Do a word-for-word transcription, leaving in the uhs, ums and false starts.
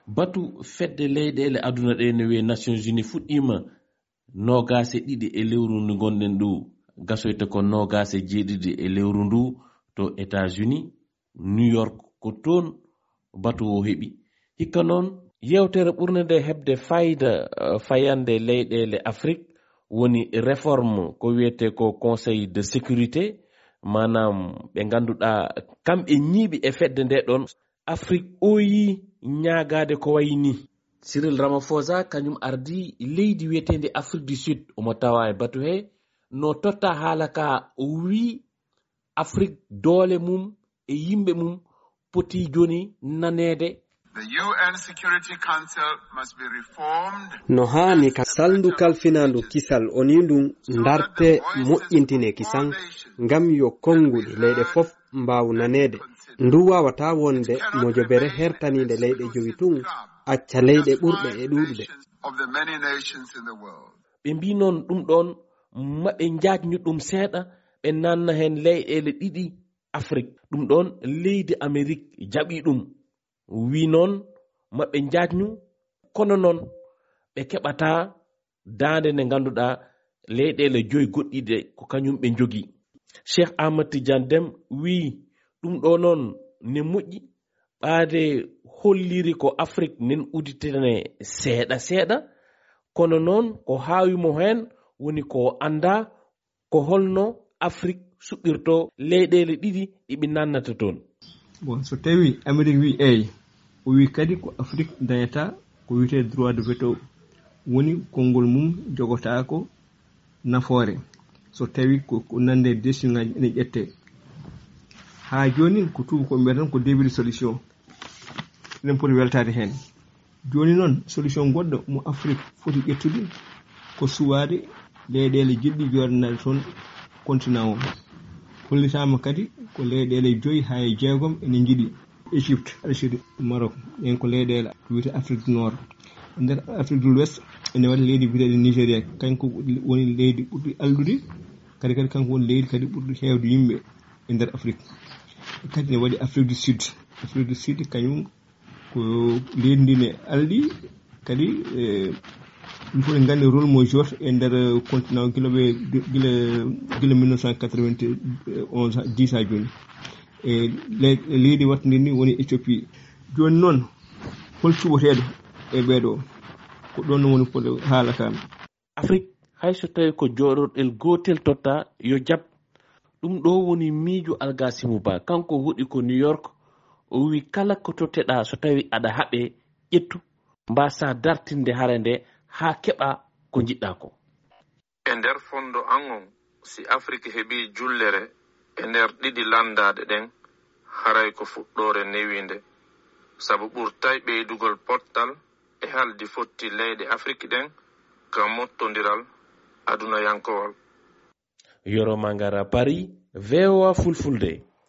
Batu fedde leyɗeele aduna ɗe no wiyee Nations Unies fuɗɗiima noogaas e ɗiɗi e lewru ndu ngonɗen ndu, gasoyta ko noogaas e jeeɗiɗi e lewru ndu to États-Unis, New York, ko toon batu o heɓi. Hikka noon, yeewtere ɓurnde nde heɓde fayda, eh, fayande leyɗeele Afrik woni réforme ko wiyetee ko Conseil de sécurité, maanaam ɓe ngannduɗaa kamɓe ñiiɓi e fedde nde ɗoon, Afrik ooyii ñaagaade ko wayi nii. Cyril Ramaphosa kañum ardii leydi wiyeteendi Afrique du Sud, omo tawaa e batu he, no totta haala ka, o wii Afrik doole mum e yimɓe mum poti jooni naneede. The U N Security Council must be reformed. No haani ka salndu kalfinaandu kisal o nii ndun ndarte moƴƴintine kisan ngam yo konnguɗi leyɗe fof mbaawu naneede. Ndu waawataa wonde mojobere hertaniinde leyɗe jowi tun, acca leyɗe ɓurɗe e ɗuuɗude. Of the many nations in the world. Ɓe mbii noon ɗum ɗoon maɓe njaajnu ɗum seeɗa, ɓe naanna heen leyɗeele ɗiɗi Afrik. Ɗum ɗoon leydi Amerik jaɓii ɗum. Wii noon maɓe njaajnu, kono noon ɓe keɓataa daande nde ngannduɗaa leyɗeele joyi goɗɗiɗe ko kañum ɓe njogii. Cheikh Ahmad Tidiane Deme wii ɗum ɗo noon ne moƴƴi, ɓaade holliri ko Afrik nen uditene seeɗa seeɗa, kono noon ko haawi mo heen woni ko anndaa ko holno Afrik suɓirtoo leyɗeele ɗiɗi ɗi ɓe naannata toon. Bon, so tawi Amerik wi eey, o wi kadi ko Afrik dañata ko wiyetee droit de veto, woni konngol mum jogotaako nafoore. So tawi ko, ko nande décision ngaji ene ƴette. Haa jooni ko tuuba ko mbiyata tan ko début de solution. Eɗen poti weltaade heen. Jooni noon, solution goɗɗo mo Afrik foti ƴettude ko suwaade leyɗeele jiɗɗi jooɗanaade toon continent o. Hollitaama kadi ko leyɗeele joyi haa e jeegom ene njiɗi. Égypte, Algérie, Maroc, ɗeen ko leyɗeele ko wiyetee Afrique du Nord. E nder Afrique de l'Ouest, ene waɗi leydi biyeteeɗi Nigéria, kanko woni leydi ɓurdi alɗude, kadi, kadi kanko woni leydi kadi ɓurdi heewde yimɓe e nder Afrique. Kadi ene waɗi Afrique du Sud. Afrique du Sud, kañum ko leydi ndi ne alɗi, kadi, eh, ɗum fof en nganndi rôle mo jouata e nder continent o gila ɓe, gila, gila mille neuf cent quatre-vingt-onze, dix haa jooni. E le-, leydi waɗtundi ndi woni Éthiopie. Jooni noon, hol cuɓoteeɗo e ɓeeɗo? Ko ɗoon woni fodde haala ka. Afrik, hay so tawi ko jooɗorɗel gootel totta, yo jaɓ. Ɗum ɗo woni miijo Algasimu Ba. Kanko hoɗi ko New York, o wi kala ko totteɗaa so tawi aɗa haɓe, ƴettu, mbaasaa dartinde hare nde haa keɓaa ko njiɗɗaa ko. E nder fondo an on, si Afrik heɓii jullere e nder ɗiɗi lanndaaɗe ɗen, haray ko fuɗɗoore newiinde, sabu ɓurtay ɓeydugol pottal e haldi fotti leyɗe Afrik ɗen ka mottondiral adunayankowal. Yoro Mangara, Paris, V O A Fulfulde.